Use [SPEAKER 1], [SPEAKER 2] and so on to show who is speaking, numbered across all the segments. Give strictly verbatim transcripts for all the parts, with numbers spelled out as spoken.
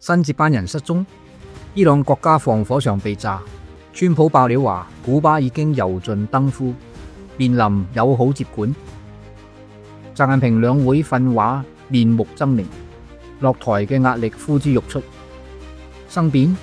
[SPEAKER 1] 新接班人失蹤，伊朗國家防火牆被炸，川普爆料話古巴已經油盡燈枯，面臨友好接管。習近平兩會訓話面目猙獰，落台嘅壓力呼之欲出。生變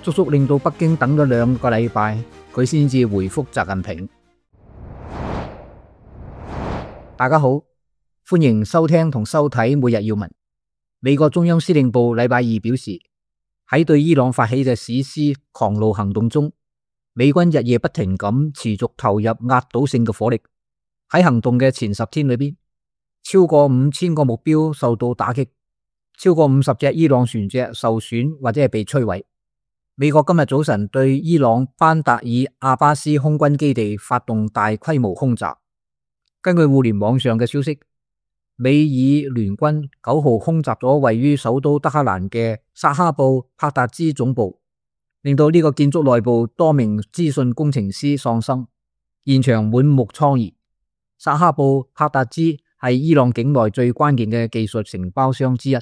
[SPEAKER 1] 足足令到北京等咗兩個禮拜，佢先至回覆習近平。大家好，歡迎收聽同收睇每日要聞。美國中央司令部禮拜二表示，喺對伊朗發起嘅史詩狂怒行動中，美軍日夜不停咁持續投入壓倒性嘅火力。喺行動嘅前十天裏邊，超過五千個目標受到打擊，超過五十隻伊朗船隻受損或者係被摧毀。美國今日早晨對伊朗班達爾阿巴斯空軍基地發動大規模空襲。根據互聯網上嘅消息，美以聯軍九號空襲咗位於首都德黑蘭嘅薩哈布帕達茲總部，令到呢個建築內部多名資訊工程師喪生，現場滿目瘡痍。薩哈布帕達茲係伊朗境內最關鍵嘅技術承包商之一，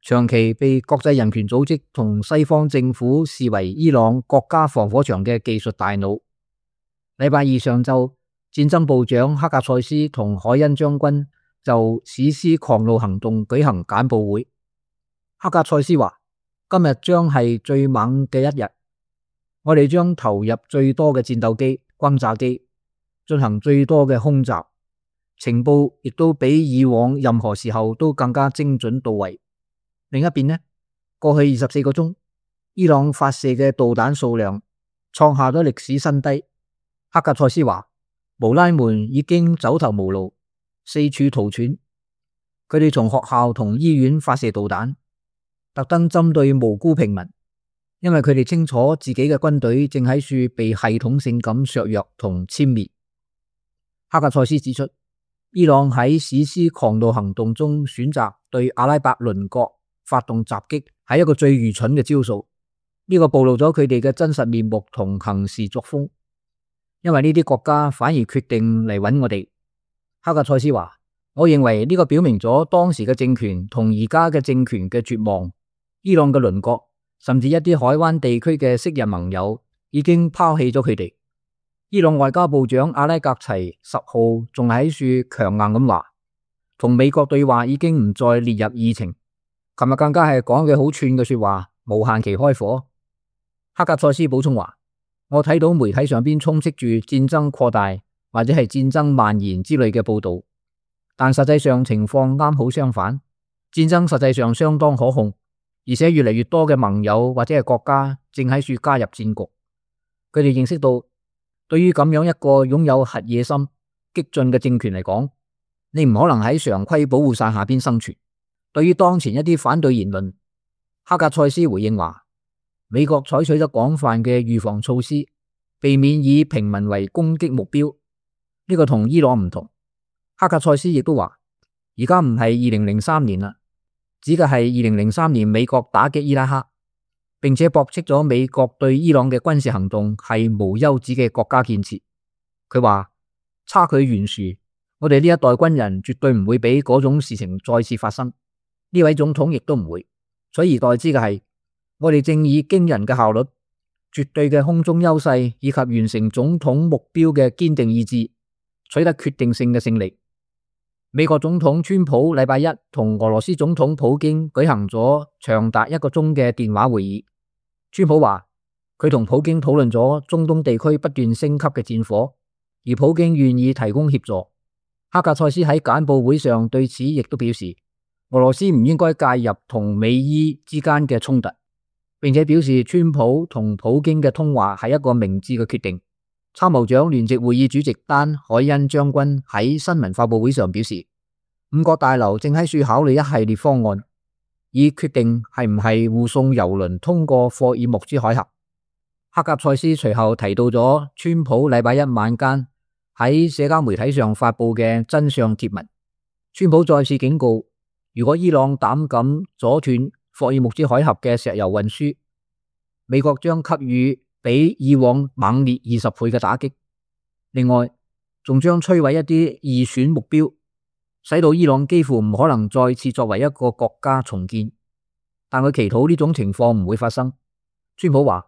[SPEAKER 1] 長期被國際人權組織同西方政府視為伊朗國家防火牆嘅技術大腦。禮拜二上晝，戰爭部長哈格塞斯同海恩將軍就史詩狂怒行動舉行簡報會。哈格塞斯話：今日將係最猛嘅一日，我哋將投入最多嘅戰鬥機、轟炸機，進行最多嘅空襲，情報亦都比以往任何時候都更加精準到位。另一邊呢，過去二十四個鐘，伊朗發射嘅導彈數量創下咗歷史新低。哈格塞斯話：穆拉們已經走投無路，四處逃竄。佢哋從學校同醫院發射導彈，特登針對無辜平民，因為佢哋清楚自己嘅軍隊正喺處被系統性咁削弱同殲滅。哈格塞斯指出，伊朗喺史詩狂怒行動中選擇對阿拉伯鄰國發動襲擊，係一個最愚蠢嘅招數。呢、這個暴露咗佢哋嘅真實面目同行事作風，因為呢啲國家反而決定嚟揾我哋。哈格塞斯話：我認為呢個表明咗當時嘅政權同而家嘅政權嘅絕望。伊朗嘅鄰國，甚至一啲海灣地區嘅昔日盟友，已經拋棄咗佢哋。伊朗外交部長阿拉格齊十號仲喺處強硬咁話，同美國對話已經唔再列入議程。琴日更加係講嘅好串嘅說話，無限期開火。哈格塞斯補充話：我睇到媒體上邊充斥住戰爭擴大或者係戰爭蔓延之類嘅報道，但實際上情況啱好相反，戰爭實際上相當可控，而且越嚟越多嘅盟友或者係國家正喺處加入戰局。佢哋認識到，對於咁樣一個擁有核野心、激進嘅政權嚟講，你唔可能喺常規保護傘下邊生存。對於當前一啲反對言論，哈格塞斯回應話：美國採取咗廣泛嘅預防措施，避免以平民為攻擊目標。呢個同伊朗唔同。哈格塞斯亦都話：而家唔係二零零三年啦，指嘅係二零零三年美國打擊伊拉克，並且駁斥咗美國對伊朗嘅軍事行動係無休止嘅國家建設。佢話：差距懸殊，我哋呢一代軍人絕對唔會俾嗰種事情再次發生。呢位總統亦都唔會。取而代之嘅係，我哋正以驚人嘅效率、絕對嘅空中優勢以及完成總統目標嘅堅定意志，取得決定性嘅勝利。美國總統川普禮拜一同俄羅斯總統普京舉行咗長達一個鐘嘅電話會議。川普話佢同普京討論咗中東地區不斷升級嘅戰火，而普京願意提供協助。哈格塞斯喺簡報會上對此亦都表示，俄羅斯唔應該介入同美伊之間嘅衝突，並且表示川普同普京嘅通話係一個明智嘅決定。參謀長聯席會議主席丹海恩將軍喺新聞發佈會上表示，五角大樓正喺處考慮一系列方案，以決定係唔係護送油輪通過霍爾木茲海峽。哈格塞斯隨後提到咗川普禮拜一晚間喺社交媒體上發佈嘅真相貼文。川普再次警告，如果伊朗膽敢阻斷霍爾木茲海峽嘅石油運輸，美國將給予比以往猛烈二十倍嘅打擊。另外，仲將摧毀一啲二選目標，使到伊朗幾乎唔可能再次作為一個國家重建。但佢祈禱呢種情況唔會發生。川普話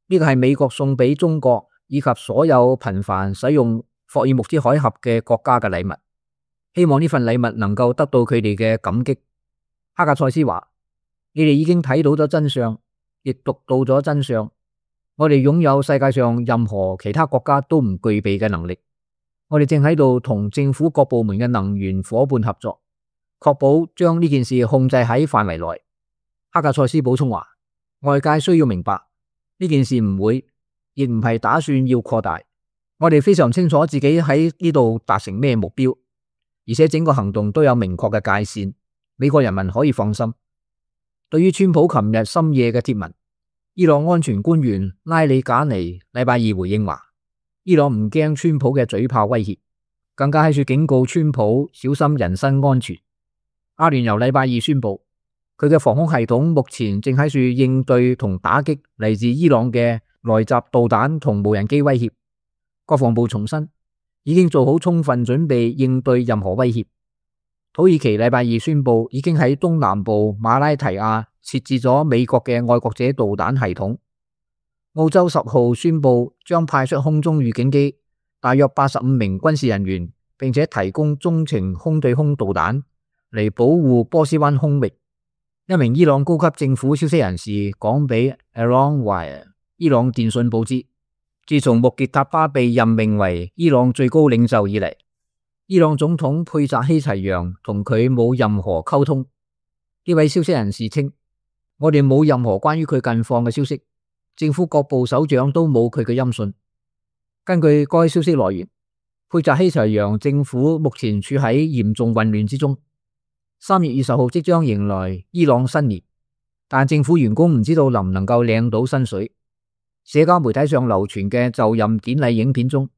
[SPEAKER 1] 呢個係美國送俾中國以及所有頻繁使用霍爾木茲海峽嘅國家嘅禮物，希望呢份禮物能夠得到佢哋嘅感激。哈格塞斯話：你哋已經睇到咗真相，亦讀到咗真相。我哋擁有世界上任何其他國家都唔具備嘅能力。我哋正喺度同政府各部門嘅能源夥伴合作，確保將呢件事控制喺範圍內。哈格塞斯補充話：外界需要明白呢件事唔會，亦唔係打算要擴大。我哋非常清楚自己喺呢度達成咩目標，而且整個行動都有明確嘅界線。美國人民可以放心。對於川普琴日深夜嘅貼文，伊朗安全官員拉里賈尼禮拜二回應話：伊朗唔驚川普嘅嘴炮威脅，更加喺處警告川普小心人身安全。阿聯酋禮拜二宣布，佢嘅防空系統目前正喺處應對同打擊嚟自伊朗嘅來襲導彈同無人機威脅。國防部重申，已經做好充分準備應對任何威脅。土耳其禮拜二宣布，已經喺東南部馬拉提亞設置咗美國嘅愛國者導彈系統。澳洲十號宣布將派出空中預警機，大約八十五名軍事人員，並且提供中程空對空導彈嚟保護波斯灣空域。一名伊朗高級政府消息人士講俾 Iran 伊朗電訊報知，自從穆傑塔巴被任命為伊朗最高領袖以嚟，伊朗總統佩扎希齊揚同佢冇任何溝通。呢位消息人士稱，我哋冇任何關於佢近況嘅消息，政府各部首長都冇佢嘅音訊。根據該消息來源，佩扎希齊揚政府目前處喺嚴重混亂之中。三月二十號即將迎來伊朗新年，但政府員工唔知道能唔能夠領到薪水。社交媒體上流傳嘅就任典禮影片中，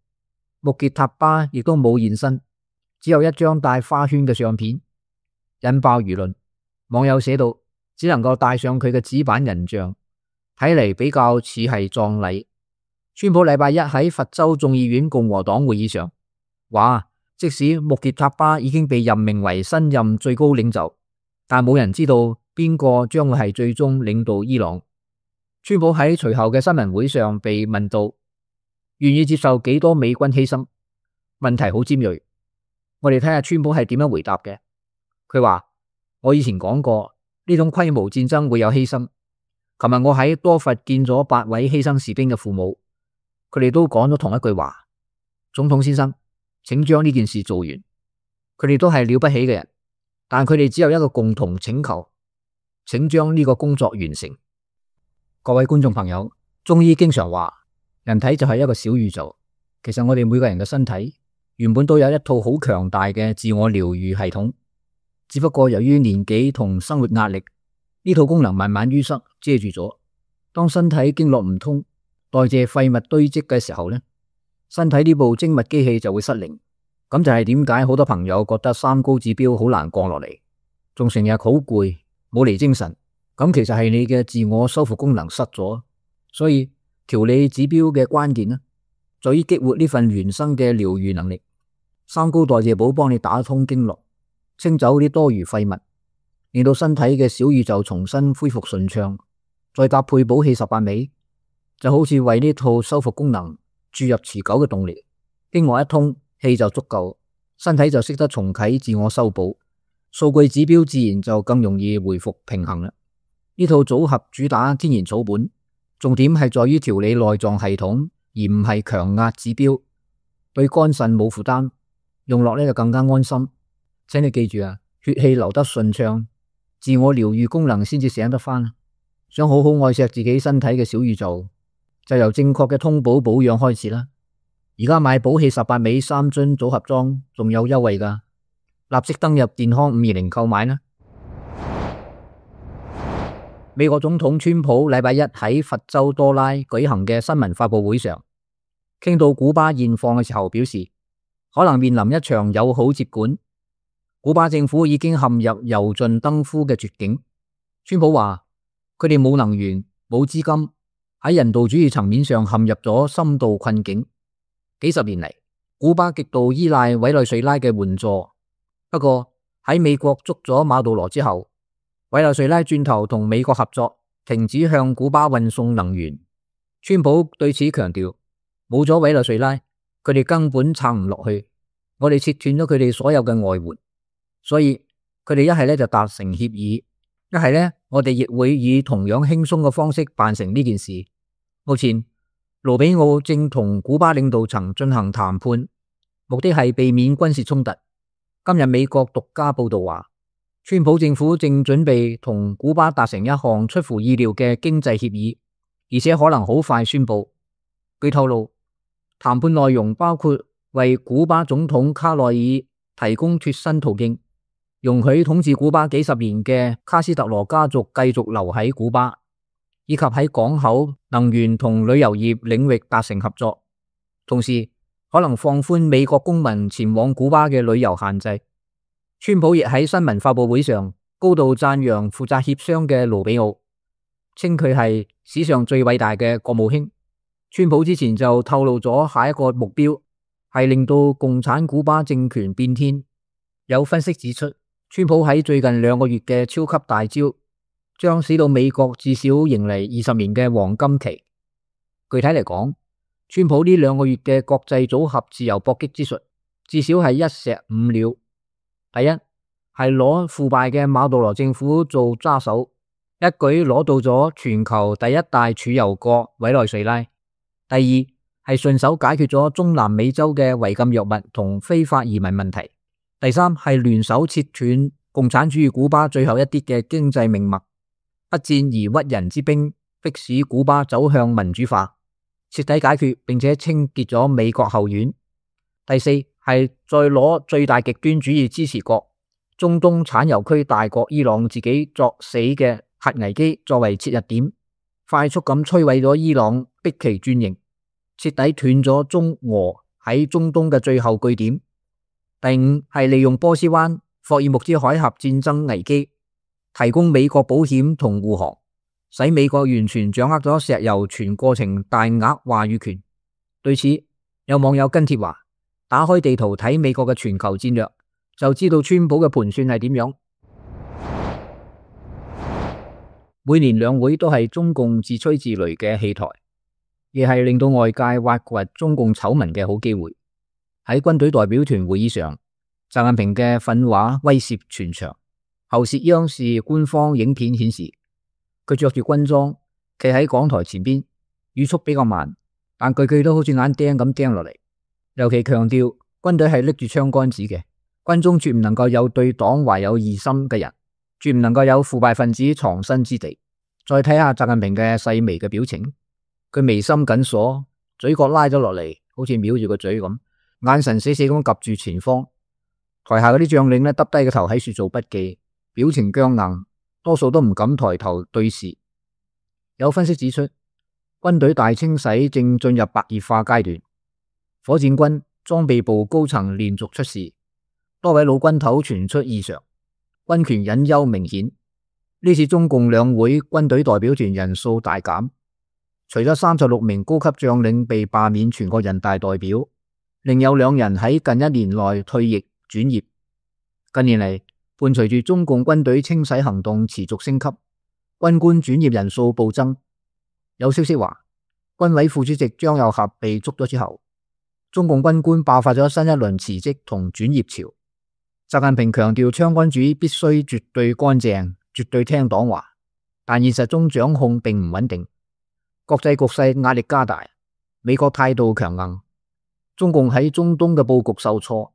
[SPEAKER 1] 穆傑塔巴亦都冇現身，只有一張帶花圈嘅相片，引爆輿論。網友寫道，只能夠帶上佢嘅紙板人像，睇嚟比較似係葬禮。川普禮拜一喺佛州眾議院共和黨會議上話，即使穆傑塔巴已經被任命為新任最高領袖，但冇人知道邊個將會係最終領導伊朗。川普喺隨後嘅新聞會上被問到願意接受幾多美軍犧牲，問題好尖銳。我哋睇下川普係點樣回答嘅。佢話：我以前講過呢種規模戰爭會有犧牲。琴日我喺多佛見咗八位犧牲士兵嘅父母，佢哋都講咗同一句話：總統先生，請將呢件事做完。佢哋都係了不起嘅人，但佢哋只有一個共同請求，請將呢個工作完成。各位觀眾朋友，中醫經常話人體就係一個小宇宙。其實我哋每個人嘅身體原本都有一套好強大嘅自我療愈系統，只不過由於年紀同生活壓力，呢套功能慢慢淤塞遮住咗。當身體經絡唔通，代謝廢物堆積嘅時候呢，身體呢部精密機器就會失靈。咁就係點解好多朋友覺得三高指標好難降落嚟，仲成日好攰，冇嚟精神。咁其實係你嘅自我修復功能失咗，所以調理指標嘅關鍵呢，在於激活呢份原生嘅療愈能力。三高代謝寶幫你打通經絡，清走啲多餘廢物，令到身體嘅小宇宙重新恢復順暢。再搭配補氣十八味，就好似為呢套修復功能注入持久嘅動力。經絡一通，氣就足夠，身體就識得重啟自我修補，數據指標自然就更容易回復平衡啦。呢套組合主打天然草本，重點係在於調理內臟系統，而唔係強壓指標，對肝腎冇負擔，用落呢就更加安心。請你記住啊，血氣流得順暢，自我療愈功能先至醒得翻。想好好愛錫自己身體嘅小宇宙，就由正確嘅通補保養開始啦。而家買補氣十八味三樽組合裝仲有優惠噶，立即登入健康五二零購買啦。美國總統川普禮拜一喺佛州多拉舉行嘅新聞發佈會上，傾到古巴現況嘅時候表示，可能面臨一場友好接管。古巴政府已經陷入油盡燈枯嘅絕境。川普話佢哋冇能源、冇資金，喺人道主義層面上陷入咗深度困境。幾十年嚟，古巴極度依賴委內瑞拉嘅援助。不過喺美國捉咗馬杜羅之後，委內瑞拉轉頭同美國合作，停止向古巴運送能源。川普對此強調，冇咗委內瑞拉，佢哋根本撐唔落去。我哋切斷咗佢哋所有嘅外援，所以佢哋一係咧就達成協議，一係咧我哋亦會以同樣輕鬆嘅方式辦成呢件事。目前盧比奧正同古巴領導層進行談判，目的係避免軍事衝突。今日美國獨家報道話，川普政府正準備同古巴達成一項出乎意料嘅經濟協議，而且可能好快宣布。據透露，談判內容包括為古巴總統卡內爾提供脫身途徑，容許統治古巴幾十年嘅卡斯特羅家族繼續留喺古巴，以及喺港口、能源同旅遊業領域達成合作。同時可能放寬美國公民前往古巴嘅旅遊限制。川普亦喺新聞發佈會上高度讚揚負責協商嘅盧比奧，稱佢係史上最偉大嘅國務卿。川普之前就透露咗下一個目標係令到共產古巴政權變天。有分析指出，川普喺最近兩個月嘅超級大招將使到美國至少迎嚟二十年嘅黃金期。具體嚟講，川普呢兩個月嘅國際組合自由搏擊之術至少係一石五鳥。第一係攞腐敗嘅馬杜羅政府做揸手，一舉攞到咗全球第一大儲油國委內瑞拉。第二係順手解決咗中南美洲嘅違禁藥物同非法移民問題。第三係聯手切斷共產主義古巴最後一啲嘅經濟命脈，不戰而屈人之兵，迫使古巴走向民主化，徹底解決並且清潔咗美國後院。第四係再攞最大極端主義支持國中東產油區大國伊朗自己作死嘅核危機作為切入點，快速咁摧毀咗伊朗，逼其轉型，徹底斷咗中俄喺中東嘅最後據點。第五係利用波斯灣霍爾木茲海峽戰爭危機，提供美國保險同護航，使美國完全掌握咗石油全過程大額話語權。對此，有網友跟帖話，打開地圖睇美國嘅全球戰略，就知道川普嘅盤算係點樣。每年兩會都係中共自吹自擂嘅戲台，亦係令到外界挖掘中共醜聞嘅好機會。喺軍隊代表團會議上，習近平嘅訓話威懾全場。喉舌央視官方影片顯示，佢着住軍裝，企喺講台前邊，語速比較慢，但句句都好似眼釘咁釘落嚟。尤其強調軍隊係拎住槍桿子嘅，軍中絕唔能夠有對黨懷有異心嘅人，絕唔能夠有腐敗分子藏身之地。再睇下習近平嘅細微嘅表情，佢眉心緊鎖，嘴角拉咗落嚟，好似藐住個嘴咁，眼神死死咁夾住前方。台下嗰啲將領呢，耷低個頭喺處做筆記，表情僵硬，多數都唔敢抬頭對視。有分析指出，軍隊大清洗正進入白熱化階段，火箭軍裝備部高層連續出事，多位老軍頭傳出異常，軍權隱憂明顯。呢次中共兩會軍隊代表團人數大減，除咗三十六名高級將領被罷免全國人大代表，另有兩人喺近一年內退役轉業。近年嚟，伴隨住中共軍隊清洗行動持續升級，軍官轉業人數暴增。有消息話，軍委副主席張又俠被捉咗之後，中共軍官爆發咗新一輪辭職同轉業潮。習近平強調槍桿主義必須絕對乾淨，絕對聽黨話，但現實中掌控並唔穩定，國際局勢壓力加大，美國態度強硬，中共喺中東嘅布局受挫，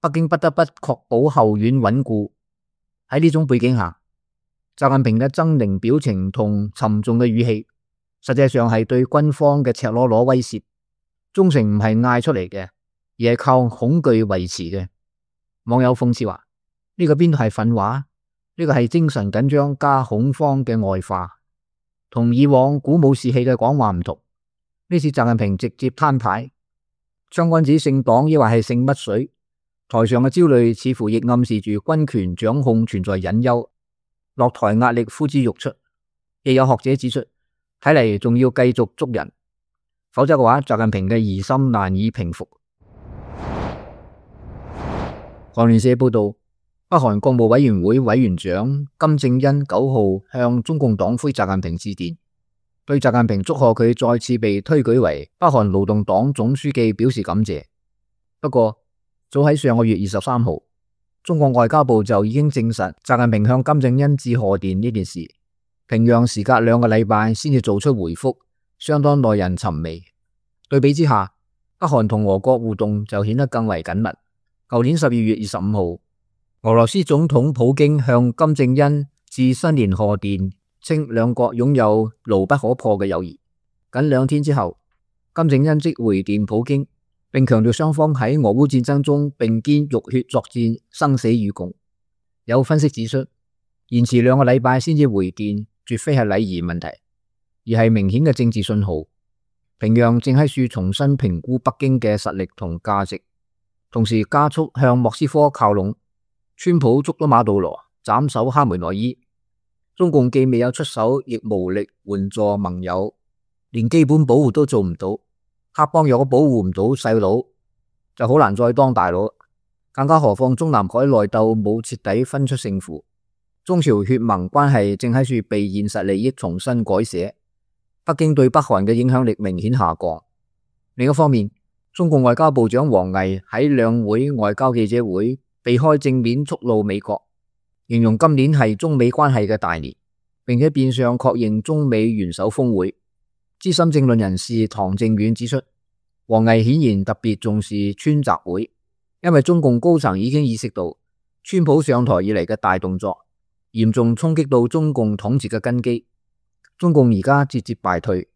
[SPEAKER 1] 北京不得不確保後院穩固。喺呢種背景下，習近平嘅猙獰表情同沉重嘅語氣，實際上係對軍方嘅赤裸裸威脅。忠誠唔係嗌出嚟嘅，而係靠恐懼維持嘅。網友諷刺話：呢個邊度係訓話？呢個係精神緊張加恐慌嘅外化，同以往鼓舞士氣嘅講話唔同。呢次習近平直接攤牌，槍桿子姓黨抑或係姓乜水？台上嘅焦慮似乎亦暗示住軍權掌控存在隱憂，落台壓力呼之欲出。亦有學者指出，睇嚟仲要繼續捉人，否則嘅話，習近平嘅疑心難以平復。韓聯社報道，北韓國務委員會委員長金正恩九號向中共黨魁習近平致電，對習近平祝賀佢再次被推舉為北韓勞動黨總書記表示感謝。不過，早喺上個月二十三號，中國外交部就已經證實習近平向金正恩致賀電呢件事。平壤時隔兩個禮拜先至做出回覆，相當耐人尋味。對比之下，北韓同俄國互動就顯得更為緊密。舊年十二月二十五號，俄羅斯總統普京向金正恩致新年賀電，稱兩國擁有牢不可破嘅友誼。僅兩天之後，金正恩即回電普京，並強調雙方喺俄烏戰爭中並肩浴血作戰，生死與共。有分析指出，延遲兩個禮拜先至回電，絕非係禮儀問題，而係明顯嘅政治信號。平壤正喺處重新評估北京嘅實力同價值，同時加速向莫斯科靠攏。川普捉到馬杜羅，斬首哈梅內伊。中共既未有出手，亦無力援助盟友，連基本保護都做唔到。黑幫若果保護唔到細佬，就好難再當大佬。更加何況中南海內鬥冇徹底分出勝負，中朝血盟關係正喺處被現實利益重新改寫。北京對北韓嘅影響力明顯下降。另一方面，中共外交部長王毅喺兩會外交記者會避開正面觸怒美國，形容今年係中美關係嘅大年，並且變相確認中美元首峰會。資深政論人士唐正遠指出，王毅顯然特別重視川習會，因為中共高層已經意識到川普上台以嚟嘅大動作嚴重衝擊到中共統治嘅根基。中共而家節節敗退，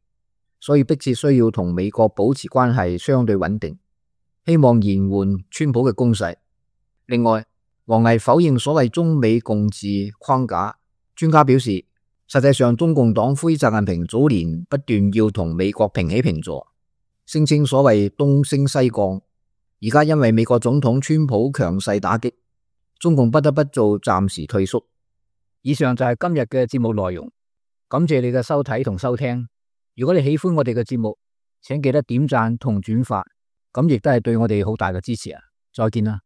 [SPEAKER 1] 所以迫切需要同美國保持關係相對穩定，希望延緩川普嘅攻勢。另外，王毅否認所謂中美共治框架。專家表示，實際上中共黨魁習近平早年不斷要同美國平起平坐，聲稱所謂東升西降。而家因為美國總統川普強勢打擊，中共不得不做暫時退縮。以上就係今日嘅節目內容。感謝你嘅收睇同收聽。如果你喜歡我哋嘅節目，請記得點讚同轉發，咁亦都係對我哋好大嘅支持啊！再見啦。